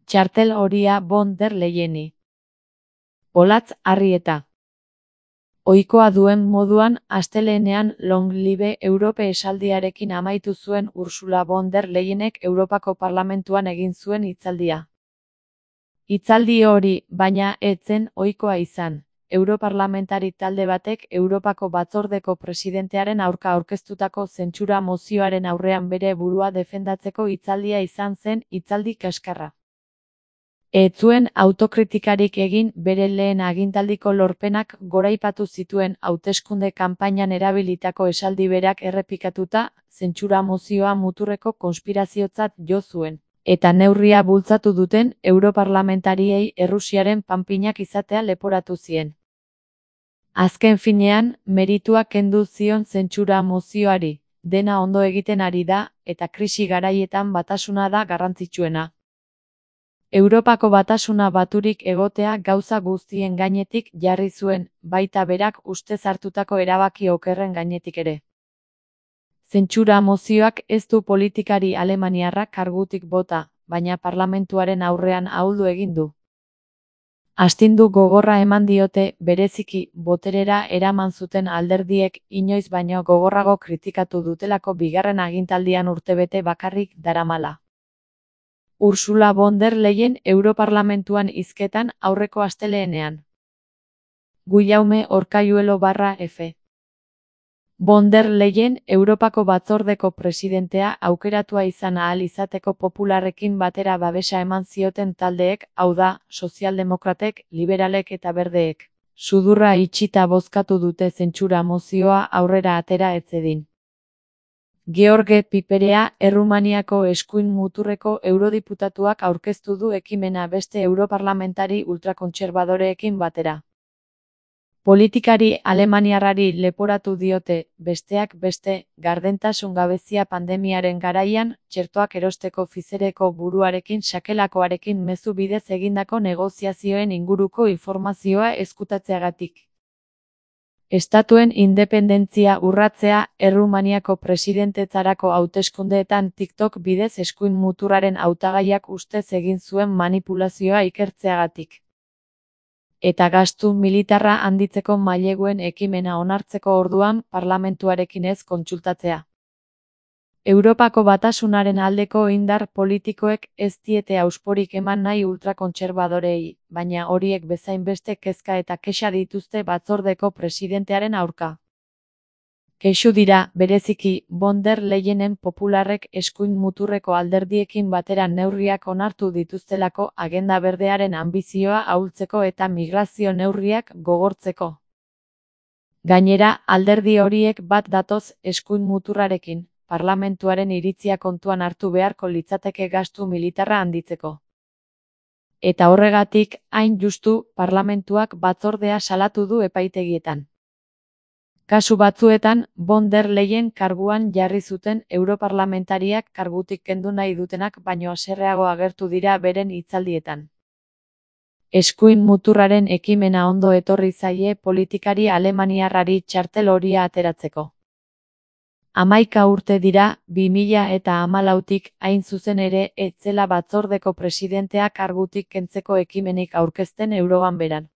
txartel horia von der Leyeni. Olatz Arrieta. Ohikoa duen moduan, astelehenean Long Live Europe esaldiarekin amaitu zuen Ursula von der Leyenek Europako Parlamentuan egin zuen hitzaldia. Hitzaldi hori, baina, ez zen ohikoa izan. Europarlamentari talde batek Europako Batzordeko presidentearen aurka aurkeztutako zentsura mozioaren aurrean bere burua defendatzeko hitzaldia izan zen hitzaldi kaskarra. Ez zuen autokritikarik egin bere lehen agintaldiko lorpenak goraipatu zituen hauteskunde kanpainan erabilitako esaldi berak errepikatuta, zentsura mozioa muturreko konspiraziotzat jo zuen. Eta neurria bultzatu duten europarlamentariei Errusiaren panpinak izatea leporatu zien. Azken finean, meritua kendu zion zentsura mozioari, dena ondo egiten ari da, eta krisi garaietan batasuna da garrantzitsuena. Europako batasuna baturik egotea gauza guztien gainetik jarri zuen, baita berak ustez hartutako erabaki okerren gainetik ere. Zentsura mozioak ez du politikari alemaniarrak kargutik bota, baina parlamentuaren aurrean ahuldu egin du. Astindu gogorra eman diote, bereziki, boterera eraman zuten alderdiek inoiz baino gogorrago kritikatu dutelako bigarren agintaldian urtebete bakarrik daramala. Ursula von der Leyen Europarlamentuan hizketan aurreko asteleenean. Guillaume Orkayuelo/F. Von der Leyen Europako Batzordeko presidentea aukeratua izan ahal izateko popularrekin batera babesa eman zioten taldeek, hau da, sozialdemokratek, liberalek eta berdeek. Sudurra itxita bozkatu dute zentsura mozioa aurrera atera ez zedin. George Piperea, Errumaniako eskuin muturreko eurodiputatuak aurkeztu du ekimena beste europarlamentari ultrakontserbadoreekin batera. Politikari alemaniarrari leporatu diote, besteak beste, gardentasun gabezia pandemiaren garaian, txertoak erosteko Pfizereko buruarekin sakelakoarekin mezu bidez egindako negoziazioen inguruko informazioa ezkutatzeagatik. Estatuen independentzia urratzea, Errumaniako presidentetzarako hauteskundeetan TikTok bidez eskuin muturraren hautagaiak ustez egin zuen manipulazioa ikertzeagatik. Eta gastu militarra handitzeko maileguen ekimena onartzeko orduan parlamentuarekin ez kontsultatzea. Europako batasunaren aldeko indar politikoek ez diete ausporik eman nahi ultrakontserbadorei, baina horiek bezain beste kezka eta kexa dituzte batzordeko presidentearen aurka. Kexu dira, bereziki, von der Leyenen popularrek eskuin muturreko alderdiekin batera neurriak onartu dituztelako agenda berdearen anbizioa ahultzeko eta migrazio neurriak gogortzeko. Gainera, alderdi horiek bat datoz eskuin muturrarekin, parlamentuaren iritzia kontuan hartu beharko litzateke gastu militarra handitzeko. Eta horregatik, hain justu, parlamentuak batzordea salatu du epaitegietan. Kasu batzuetan, von der Leyen karguan jarri zuten europarlamentariak kargutik kendu nahi dutenak baino haserreago agertu dira beren hitzaldietan. Eskuin muturraren ekimena ondo etorri zaie politikari alemaniarrari txartel horia ateratzeko. 11 urte dira, 2014tik hain zuzen ere ez zela batzordeko presidentea kargutik kentzeko ekimenik aurkezten Euroganberan.